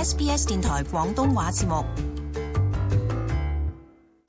SBS 電台廣東話節目。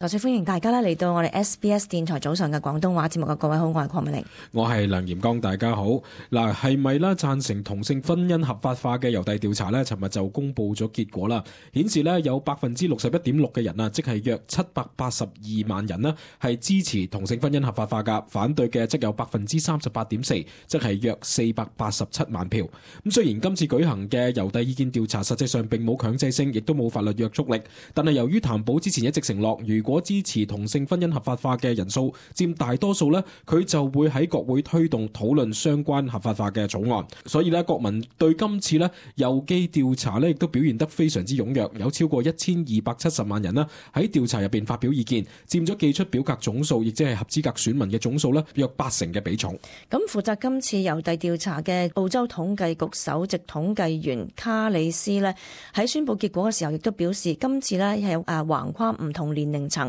再次歡迎大家嚟到我哋 SBS 電台早上嘅廣東話節目嘅各位好，我係鄺美玲，我係梁炎剛，大家好。嗱，係咪啦贊成同性婚姻合法化嘅郵遞調查呢？尋日就公布咗結果啦，顯示呢有 61.6% 嘅人啊，即係約782萬人呢係支持同性婚姻合法化噶，反對嘅則有 38.4%， 即係約487萬票。咁雖然今次舉行嘅郵遞意見調查實際上並冇強制性，亦都冇法律約束力，但係由於譚寶之前一直承諾，如果支持同性婚姻合法化嘅人數佔大多數呢，佢就會喺國會推動討論相關合法化嘅草案。所以呢，國民對今次呢郵寄調查呢亦都表現得非常之踴躍，有超過1270萬人呢喺調查入邊發表意見，佔咗寄出表格總數，亦即係合資格選民嘅總數呢約80%嘅比重。咁負責今次郵遞調查嘅澳洲統計局首席統計員卡里斯呢喺宣布結果嘅時候，亦都表示今次呢係橫跨唔同年齡層、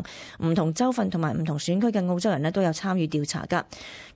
唔同州份同埋唔同選區嘅澳洲人呢都有參與調查㗎。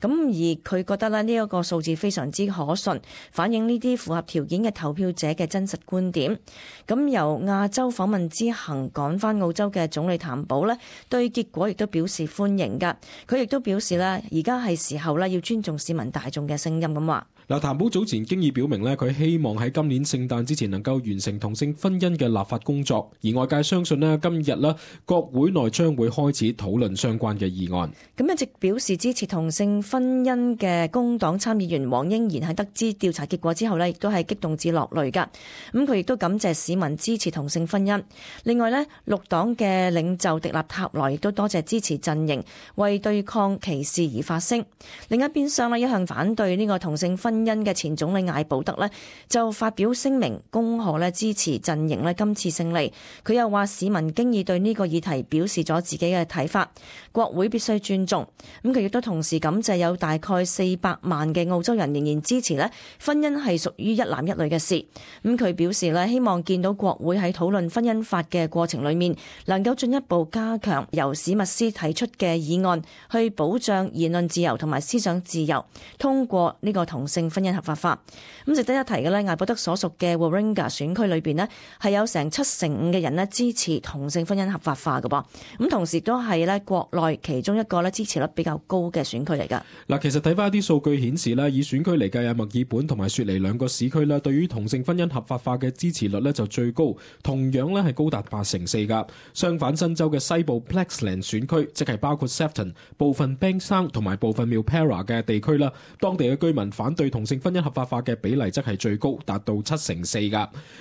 咁而佢覺得呢一個數字非常之可信，反映呢啲符合條件嘅投票者嘅真實觀點。咁由亞洲訪問之行趕返澳洲嘅總理譚寶呢對結果亦都表示歡迎㗎。佢亦都表示呢而家係時候呢要尊重市民大眾嘅聲音咁話。嗱，譚寶早前經已表明咧，佢希望喺今年聖誕之前能夠完成同性婚姻嘅立法工作，而外界相信咧，今日咧國會內將會開始討論相關嘅議案。咁一直表示支持同性婚姻嘅工黨參議員黃英賢喺得知調查結果之後咧，亦都係激動至落淚㗎。咁佢亦都感謝市民支持同性婚姻。另外咧，綠黨嘅領袖迪納塔萊亦都多謝支持陣營為對抗歧視而發聲。另一邊廂咧，一向反對呢個同性婚姻嘅前總理艾保德呢就發表聲明恭賀呢支持陣營呢今次勝利。佢又話市民經已對呢個議題表示咗自己嘅睇法，國會必須尊重。咁佢亦都同時感謝有大概400萬嘅澳洲人仍然支持呢婚姻係屬於一男一女嘅事。咁佢表示呢希望見到國會喺討論婚姻法嘅過程裏面能夠進一步加強由史密斯提出嘅議案，去保障言論自由同埋思想自由，通過呢個同性婚姻合法化。咁值得一提嘅呢，艾保德所屬嘅 Warringah 選區裏邊呢係有成75%嘅人呢支持同性婚姻合法化嘅噃。咁同時都係呢國內其中一個呢支持率比較高嘅選區嚟㗎。嗱，其實睇翻一啲數據顯示呢，以選區嚟計，墨爾本同埋雪梨兩個市區呢對於同性婚姻合法化嘅支持率呢就最高，同樣呢係高達84%㗎。相反，新州嘅西部 Plaquemine 選區，即係包括 Sefton、部分 Bankstown 同埋部分 Milperra 嘅地區啦，當地嘅居民反對同性婚姻合法化嘅比例則係最高，達到74%噶。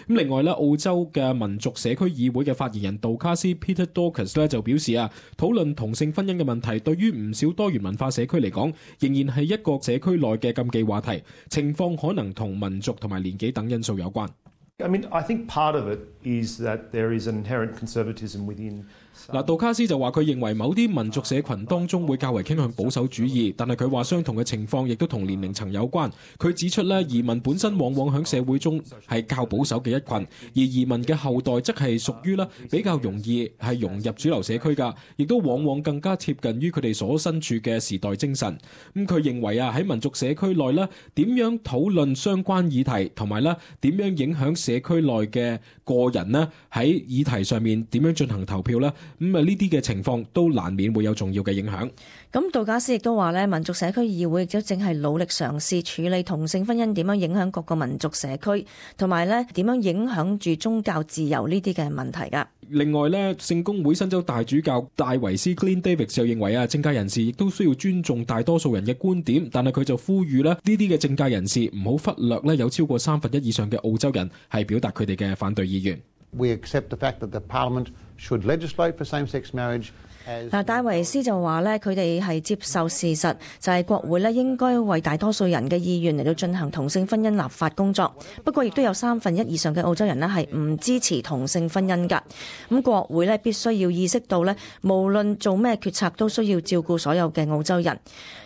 咁另外咧，澳洲嘅民族社區議會嘅發言人杜卡斯 Peter Dorcas 咧就表示啊，討論同性婚姻嘅問題對於唔少多元文化社區嚟講，仍然係一個社區內嘅禁忌話題，情況可能同民族同埋年紀等因素有關。I think part of it is that there is an inherent conservatism within。杜卡斯就話佢認為某啲民族社群當中會較為傾向保守主義，但係佢話相同嘅情況亦都同年齡層有關。佢指出咧，移民本身往往喺社會中係較保守嘅一群，而移民嘅後代則係屬於比較容易係融入主流社區㗎，亦都往往更加貼近於佢哋所身處嘅時代精神。佢認為啊，喺民族社區內點樣討論相關議題，同埋點樣影響社區內嘅個人喺議題上面點樣進行投票呢啲嘅情況都難免會有重要嘅影響。咁杜加斯亦都話民族社區議會亦都正係努力嘗試處理同性婚姻點樣影響各個民族社區，同埋點樣影響住宗教自由呢啲嘅問題噶。另外聖公會新州大主教戴維斯 Glenn David 就認為政界人士亦都需要尊重大多數人嘅觀點，但係佢就呼籲呢啲嘅政界人士唔好忽略有超過1/3以上嘅澳洲人係表達佢哋嘅反對意願。We accept the fact that the Parliament should legislate for same-sex marriage. 戴維斯就話佢哋係接受事實，就係國會應該為大多數人嘅意願嚟到進行同性婚姻立法工作。不過亦都有1/3以上嘅澳洲人係唔支持同性婚姻㗎。咁國會必須要意識到無論做咩決策都需要照顧所有嘅澳洲人，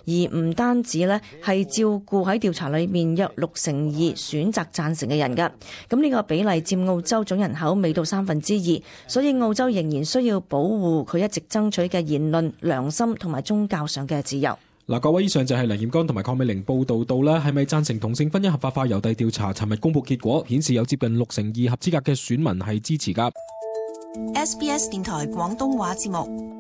而唔單止係照顧喺調查裏面約62%選擇贊成嘅人㗎。咁呢個比例佔澳洲總人口未到2/3，所以澳洲仍然需要保護佢一直爭取嘅言論、良心同埋宗教上嘅自由。嗱，各位，以上就係梁焱剛同埋鄺美玲報道到啦，係咪贊成同性婚姻合法化郵遞調查，尋日公佈結果，顯示有接近62%合資格嘅選民係支持㗎。SBS 電台廣東話節目。